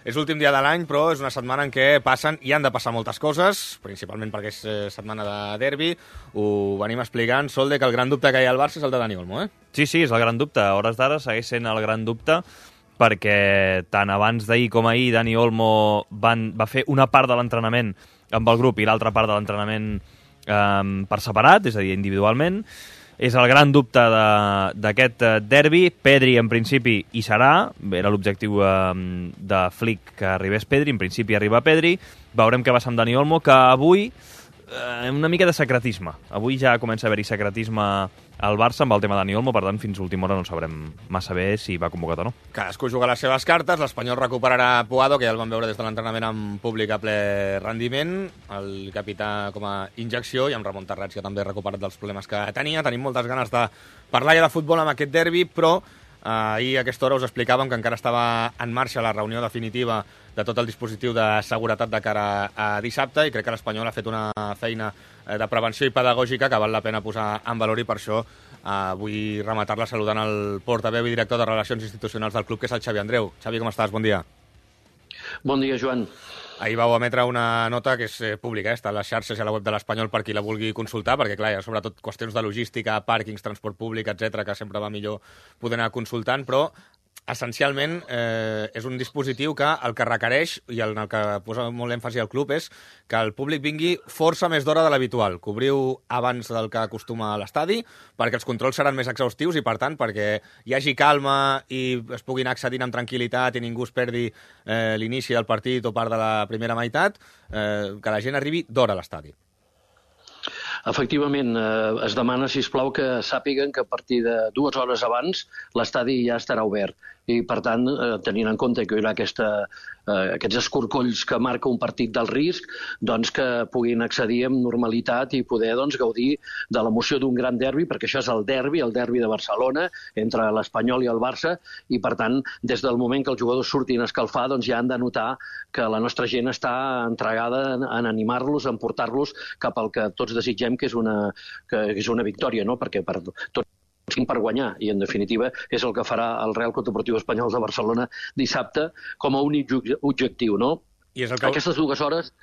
És l'últim dia de l'any, però és una setmana en què passen i han de passar moltes coses, principalment perquè és setmana de derbi. Ho venim explicant, Solde, que el gran dubte que hi ha al Barça és el de Dani Olmo, eh? Sí, és el gran dubte. A hores d'ara segueix sent el gran dubte perquè tant abans d'ahir com ahir Dani Olmo va fer una part de l'entrenament amb el grup i l'altra part de l'entrenament per separat, és a dir, individualment. És el gran dubte d'aquest derbi. Pedri, en principi, hi serà. Era l'objectiu de Flick que arribés Pedri. En principi arriba Pedri. Veurem què va ser amb Dani Olmo, que avui una mica de secretisme. Avui ja comença a haver-hi secretisme al Barça amb el tema de Dani Olmo, per tant, fins a última hora no sabrem massa bé si va convocat o no. Cadascú juga les seves cartes. L'Espanyol recuperarà Puado, que ja el vam veure des de l'entrenament en públic a ple rendiment. El capità com a injecció, i amb Ramon Terrats, que també ha recuperat dels problemes que tenia. Tenim moltes ganes de parlar ja de futbol amb aquest derbi, però ahir a aquesta hora us explicàvem que encara estava en marxa la reunió definitiva de tot el dispositiu de seguretat de cara a dissabte, i crec que l'Espanyol ha fet una feina de prevenció i pedagògica que val la pena posar en valor, i per això vull rematar-la saludant el portaveu i director de Relacions Institucionals del club, que és el Xavi Andreu. Xavi, com estàs? Bon dia. Bon dia, Joan. Ahir vau emetre una nota que és pública, està a les xarxes i a la web de l'Espanyol per qui la vulgui consultar, perquè clar, hi ha sobretot qüestions de logística, pàrquings, transport públic, etc, que sempre va millor poder anar consultant, però essencialment és un dispositiu que el que requereix, i en el que posa molt èmfasi al club, és que el públic vingui força més d'hora de l'habitual. Cobriu abans del que acostuma a l'estadi, perquè els controls seran més exhaustius i, per tant, perquè hi hagi calma i es puguin accedint amb tranquil·litat i ningú es perdi l'inici del partit o part de la primera meitat, que la gent arribi d'hora a l'estadi. Efectivament, es demana, sisplau, que sàpiguen que a partir de 2 hores abans l'estadi ja estarà obert. I, per tant, tenint en compte que hi haurà aquests escorcolls que marca un partit del risc, doncs que puguin accedir amb normalitat i poder gaudir de l'emoció d'un gran derbi, perquè això és el derbi de Barcelona, entre l'Espanyol i el Barça, i, per tant, des del moment que els jugadors surtin a escalfar, doncs ja han de notar que la nostra gent està entregada en animar-los, en portar-los cap al que tots desitgem, que és una victòria, no? Perquè tots per guanyar, i en definitiva és el que farà el Real Club Deportiu Espanyol de Barcelona dissabte com a únic objectiu, no? I és el que... Aquestes 2 hores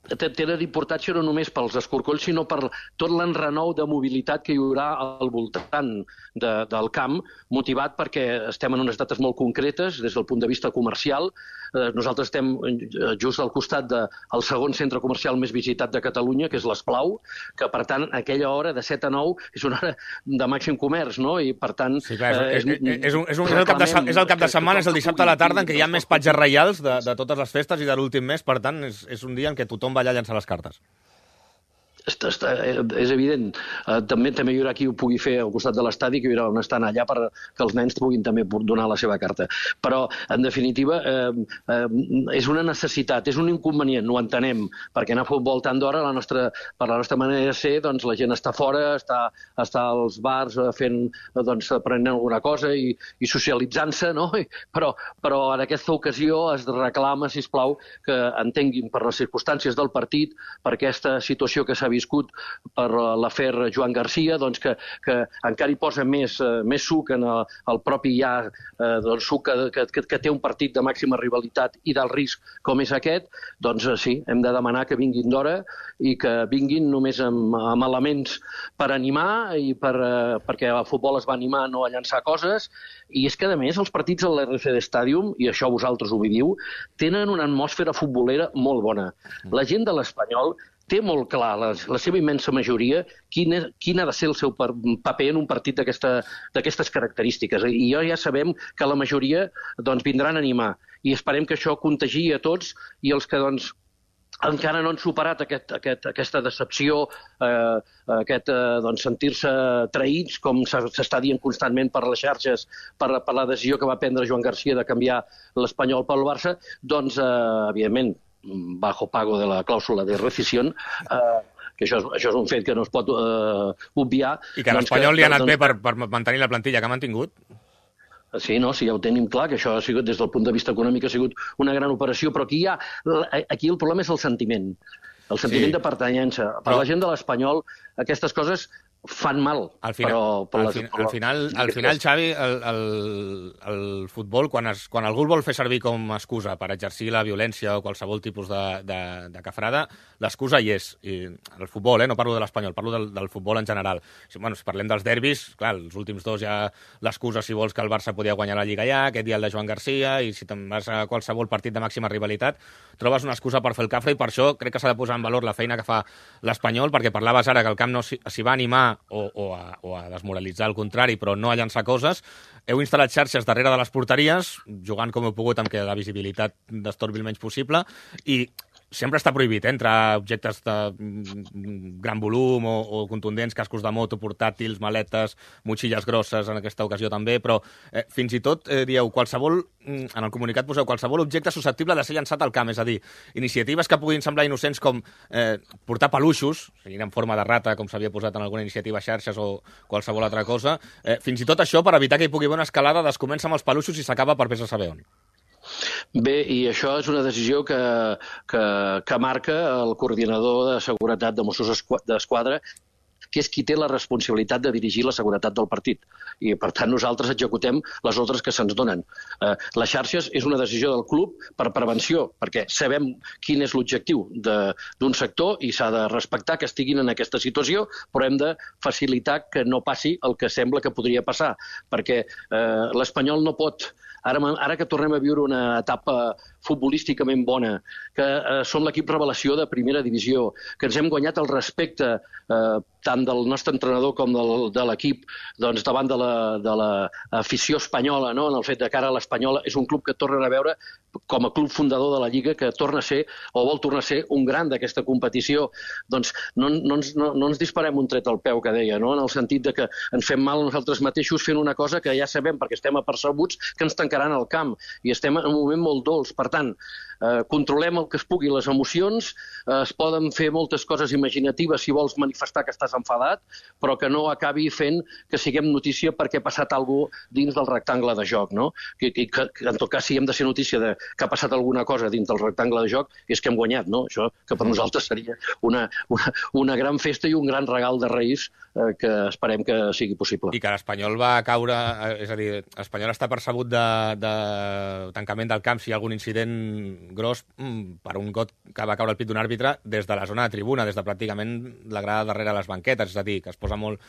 tenen importància no només pels escorcolls, sinó per tot l'enrenou de mobilitat que hi haurà al voltant del camp, motivat perquè estem en unes dates molt concretes des del punt de vista comercial. Nosaltres estem just al costat del segon centre comercial més visitat de Catalunya, que és l'Esplau, que, per tant, aquella hora de 7 a 9 és una hora de màxim comerç, no? I, per tant... Sí, clar, és el cap de setmana, és el dissabte a la tarda, en què hi ha més patges reials de totes les festes i de l'últim mes, per tant, és un dia en què tothom va allà a llançar les cartes. És evident. També hi haurà qui ho pugui fer al costat de l'estadi, que hi haurà on estan allà perquè els nens puguin també donar la seva carta. Però, en definitiva, és una necessitat, és un inconvenient, ho entenem, perquè anar a futbol tant d'hora, per la nostra manera de ser, doncs la gent està fora, està als bars prenent alguna cosa i socialitzant-se, no? Però en aquesta ocasió es reclama, sisplau, que entenguin per les circumstàncies del partit, per aquesta situació que s'ha viscut per l'afer Joan Garcia, doncs que encara hi posa més suc en el propi suc que té un partit de màxima rivalitat i d'alt risc com és aquest, doncs sí, hem de demanar que vinguin d'hora i que vinguin només amb elements per animar i perquè el futbol es va animar no a llançar coses, i és que a més els partits a l'RCD Stadium, i això vosaltres ho viviu, tenen una atmosfera futbolera molt bona. La gent de l'Espanyol té molt clar, la seva immensa majoria, quin ha de ser el seu paper en un partit d'aquestes característiques. I ja sabem que la majoria vindran a animar. I esperem que això contagi a tots, i els que encara no han superat aquesta decepció, sentir-se traïts, com s'està dient constantment per les xarxes, per la decisió que va prendre Joan Garcia de canviar l'Espanyol pel Barça, doncs, evidentment, bajo pago de la clàusula de rescisión, que això és un fet que no es pot obviar. I que a l'Espanyol li ha anat bé per mantenir la plantilla que ha mantingut? Sí, ja ho tenim clar, que això ha sigut, des del punt de vista econòmic, ha sigut una gran operació, però aquí el problema és el sentiment de pertanyença. Per la gent de l'Espanyol, aquestes coses fan mal. Al final, al final, Xavi, el futbol, quan algú el vol fer servir com a excusa per exercir la violència o qualsevol tipus de cafrada, l'excusa hi és. I el futbol, no parlo de l'Espanyol, parlo del futbol en general. Si parlem dels derbis, clar, els últims dos ja l'excusa, si vols, que el Barça podia guanyar la Lliga ja, aquest dia el de Joan Garcia, i si te'n vas a qualsevol partit de màxima rivalitat, trobes una excusa per fer el cafre, i per això crec que s'ha de posar en valor la feina que fa l'Espanyol, perquè parlaves ara que el camp no s'hi va animar o a desmoralitzar el contrari, però no a llançar coses. Heu instal·lat xarxes darrere de les porteries, jugant com heu pogut amb que la visibilitat destorbi el menys possible, i sempre està prohibit, entrar objectes de gran volum o contundents, cascos de moto, portàtils, maletes, motxilles grosses, en aquesta ocasió també, però fins i tot dieu qualsevol, en el comunicat poseu qualsevol objecte susceptible de ser llançat al camp, és a dir, iniciatives que puguin semblar innocents com portar peluixos, siguin en forma de rata, com s'havia posat en alguna iniciativa a xarxes o qualsevol altra cosa, fins i tot això per evitar que hi pugui haver una escalada es comença amb els peluixos i s'acaba per vés a saber on. Bé, i això és una decisió que marca el coordinador de seguretat de Mossos d'Esquadra, que és qui té la responsabilitat de dirigir la seguretat del partit. I, per tant, nosaltres executem les ordres que se'ns donen. Les xarxes és una decisió del club per prevenció, perquè sabem quin és l'objectiu d'un sector i s'ha de respectar que estiguin en aquesta situació, però hem de facilitar que no passi el que sembla que podria passar, perquè l'Espanyol no pot... Ara que tornem a viure una etapa futbolísticament bona, que som l'equip revelació de primera divisió, que ens hem guanyat el respecte tant del nostre entrenador com de l'equip davant de l'afició espanyola, en el fet de que ara l'Espanyol és un club que tornen a veure com a club fundador de la Lliga, que torna a ser, o vol tornar a ser, un gran d'aquesta competició. Doncs no ens disparem un tret al peu, que deia, en el sentit de que ens fem mal a nosaltres mateixos fent una cosa que ja sabem, perquè estem apercebuts, que ens tancaran al camp, i estem en un moment molt dolç. Per tant, controlem el que es pugui, les emocions, es poden fer moltes coses imaginatives si vols manifestar que estàs enfadat, però que no acabi fent que siguem notícia perquè ha passat alguna cosa dins del rectangle de joc, no? Que en tot cas, si hem de ser notícia de que ha passat alguna cosa dins del rectangle de joc, és que hem guanyat, no? Això que per nosaltres seria una gran festa i un gran regal de Reis que esperem que sigui possible. I que l'Espanyol va caure, és a dir, l'Espanyol està percebut de tancament del camp si hi ha algun incident gros per un got que va caure al pit d'un àrbitre des de la zona de tribuna, des de pràcticament la grada darrere les banquetes, és a dir, que es posa molt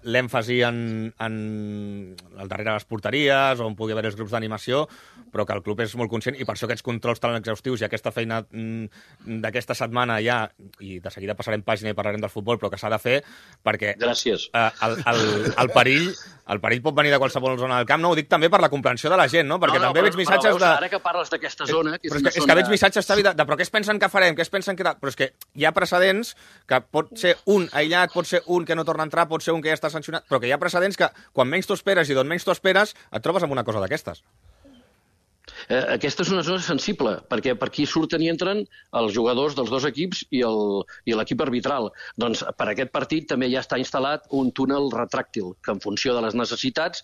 l'èmfasi en el darrere les porteries, on pugui haver els grups d'animació, però que el club és molt conscient, i per això aquests controls tan exhaustius i aquesta feina d'aquesta setmana ja, i de seguida passarem pàgina i parlarem del futbol, però que s'ha de fer, perquè gràcies. El perill pot venir de qualsevol zona del camp, no? Ho dic també per la comprensió de la gent, no? Perquè també veig missatges de... Ara que parles d'aquesta zona... És que veig missatges, Xavi, de però què es pensen que farem? Què es pensen que... Però és que hi ha precedents que pot ser un aïllat, pot ser un que no torna a entrar, pot ser un que ja està sancionat, però que hi ha precedents que quan menys t'ho esperes i d'on menys t'ho esperes et trobes amb una cosa d'aquestes. Aquesta és una zona sensible, perquè per aquí surten i entren els jugadors dels dos equips i l'equip arbitral. Doncs per aquest partit també ja està instal·lat un túnel retràctil, que en funció de les necessitats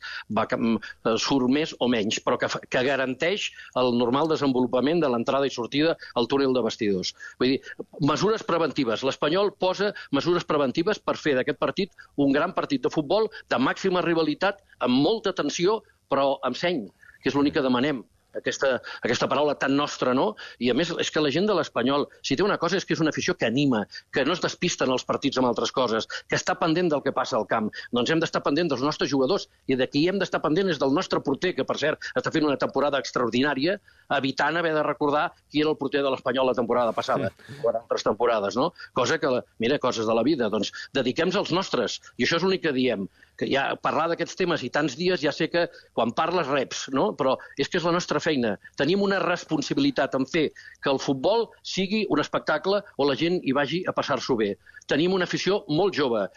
surt més o menys, però que garanteix el normal desenvolupament de l'entrada i sortida al túnel de vestidors. Vull dir, mesures preventives. L'Espanyol posa mesures preventives per fer d'aquest partit un gran partit de futbol de màxima rivalitat, amb molta tensió, però amb seny, que és l'únic que demanem. Aquesta paraula tan nostra, no? I a més, és que la gent de l'Espanyol, si té una cosa, és que és una afició que anima, que no es despista en els partits amb altres coses, que està pendent del que passa al camp. Doncs hem d'estar pendent dels nostres jugadors, i de qui hem d'estar pendent és del nostre porter, que per cert està fent una temporada extraordinària, evitant haver de recordar qui era el porter de l'Espanyol la temporada passada, o en altres temporades, no? Cosa que, mira, coses de la vida, doncs dediquem-nos als nostres, i això és l'únic que diem. Que ja parlar d'aquests temes i tants dies ja sé que quan parles reps, no? Però és que és la nostra feina. Tenim una responsabilitat en fer que el futbol sigui un espectacle o la gent hi vagi a passar-s'ho bé. Tenim una afició molt jove,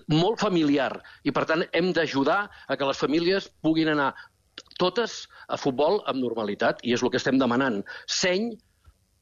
molt familiar, i per tant hem d'ajudar a que les famílies puguin anar totes a futbol amb normalitat, i és el que estem demanant. Seny,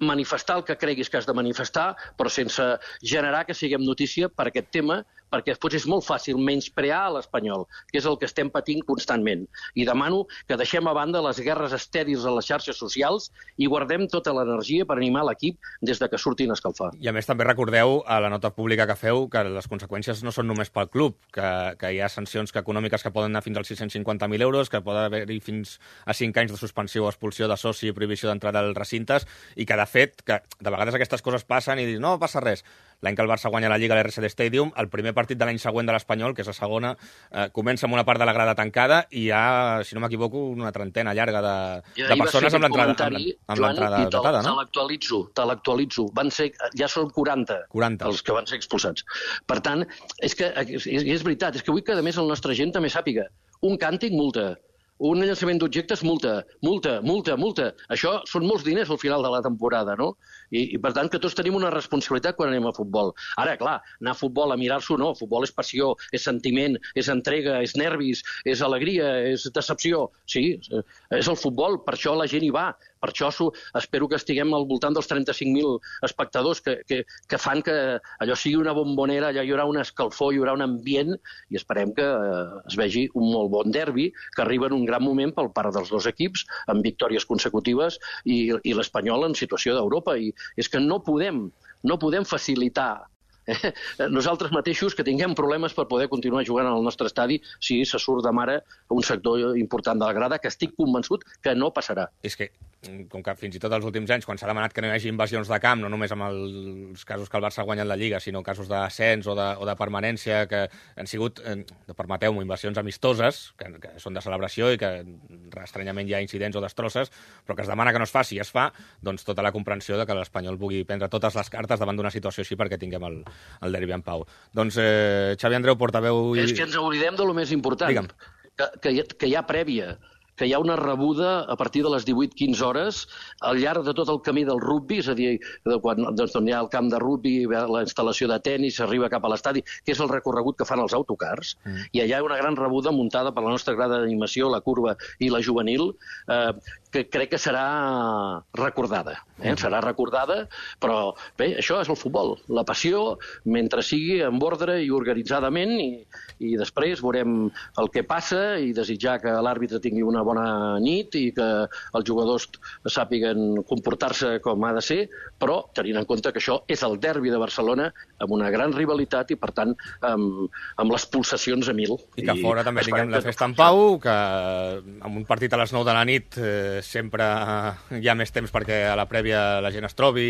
manifestar el que creguis que has de manifestar, però sense generar que siguem notícia per aquest tema, perquè després és molt fàcil menysprear l'Espanyol, que és el que estem patint constantment. I demano que deixem a banda les guerres estèrils a les xarxes socials i guardem tota l'energia per animar l'equip des de que surtin a escalfar. I a més també recordeu a la nota pública que feu que les conseqüències no són només pel club, que hi ha sancions econòmiques que poden anar fins als 650.000 euros, que poden haver-hi fins a 5 anys de suspensió o expulsió de soci i prohibició d'entrada als recintes, i que de fet, que de vegades aquestes coses passen i dius, no passa res. L'any que el Barça guanya la Lliga a l'RCD Stadium, el primer partit de l'any següent de l'Espanyol, que és la segona, comença amb una part de la grada tancada i hi ha, si no m'equivoco, una trentena llarga de persones amb l'entrada datada, no? Te l'actualitzo. Ja són 40 els que van ser expulsats. Per tant, és veritat, és que vull que a més el nostre gent també sàpiga. Un càntic, multa. Un llançament d'objectes, multa. Això són molts diners al final de la temporada, no? I per tant, que tots tenim una responsabilitat quan anem a futbol. Ara, clar, anar a futbol, a mirar-s'ho, no. Futbol és passió, és sentiment, és entrega, és nervis, és alegria, és decepció. Sí, és el futbol, per això la gent hi va. Per això espero que estiguem al voltant dels 35.000 espectadors que fan que allò sigui una bombonera, allà hi haurà una escalfor, hi haurà un ambient i esperem que es vegi un molt bon derbi, que arriba en un gran moment pel part dels dos equips, amb victòries consecutives i l'Espanyol en situació d'Europa. I és que no podem facilitar nosaltres mateixos que tinguem problemes per poder continuar jugant al nostre estadi si se surt de mare un sector important de la grada, que estic convençut que no passarà. És que, com que fins i tot els últims anys, quan s'ha demanat que no hi hagi invasions de camp, no només amb els casos que el Barça ha guanyat la Lliga, sinó casos d'ascens o de permanència, que han sigut, permeteu-m'ho, invasions amistoses, que són de celebració i que estranyament hi ha incidents o destrosses, però que es demana que no es faci i es fa, doncs tota la comprensió de que l'Espanyol pugui prendre totes les cartes davant d'una situació així perquè tinguem el derbi en pau. Doncs Xavi Andreu, portaveu... És que ens oblidem de lo més important, que hi ha prèvia, que hi ha una rebuda a partir de les 18-15 hores al llarg de tot el camí del rugbi, és a dir, quan hi ha el camp de rugbi, la instal·lació de tennis, s'arriba cap a l'estadi, que és el recorregut que fan els autocars, i allà hi ha una gran rebuda muntada per la nostra grada d'animació, la curva i la juvenil, que crec que serà recordada. Serà recordada, però bé, això és el futbol. La passió, mentre sigui en ordre i organitzadament, i després veurem el que passa i desitjar que l'àrbitre tingui una bona nit i que els jugadors sàpiguen comportar-se com ha de ser, però tenint en compte que això és el derbi de Barcelona amb una gran rivalitat i, per tant, amb les pulsacions a 1000. I que a fora també tinguem la festa en pau, que amb un partit a les 9 de la nit sempre hi ha més temps perquè a la prèvia la gent es trobi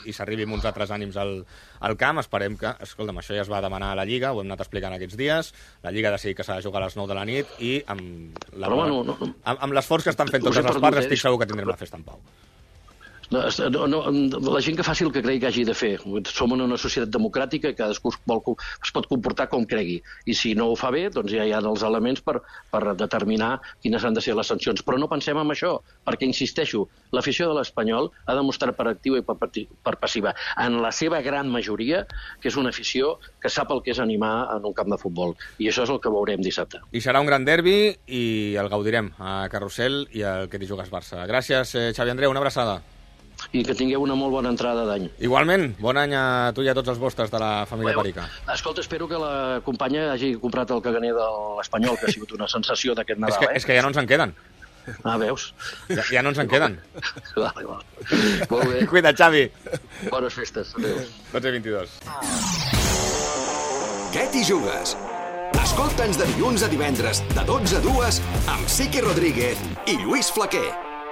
i s'arribi amb uns altres ànims al camp. Esperem que, escolta'm, això ja es va demanar a la Lliga, ho hem anat explicant aquests dies, la Lliga ha decidit que s'ha de jugar a les 9 de la nit i amb l'esforç que estan fent totes les parts estic segur que tindrem la festa en pau. La gent que faci el que cregui que hagi de fer. Som en una societat democràtica i cadascú es pot comportar com cregui. I si no ho fa bé, doncs ja hi ha els elements per determinar quines han de ser les sancions. Però no pensem en això, perquè, insisteixo, l'afició de l'Espanyol ha demostrat per activa i per passiva, en la seva gran majoria, que és una afició que sap el que és animar en un camp de futbol. I això és el que veurem dissabte. I serà un gran derbi i el gaudirem a Carrusel i al que t'hi jugues Barça. Gràcies, Xavi Andreu, una abraçada. I que tingueu una molt bona entrada d'any. Igualment, bon any a tu i a tots els vostres de la família Perica. Escolta, espero que la companya hagi comprat el caganer de l'Espanyol, que ha sigut una sensació d'aquest Nadal. És que ja no ens en queden. Ah, veus? Ja no ens en queden. Vale. Molt bé. Cuida't, Xavi. Bones festes. Adéu. 12:22. Què t'hi jugues? Escolta'ns de dilluns a divendres, de 12 a 2, amb Siqui Rodríguez i Lluís Flaquer.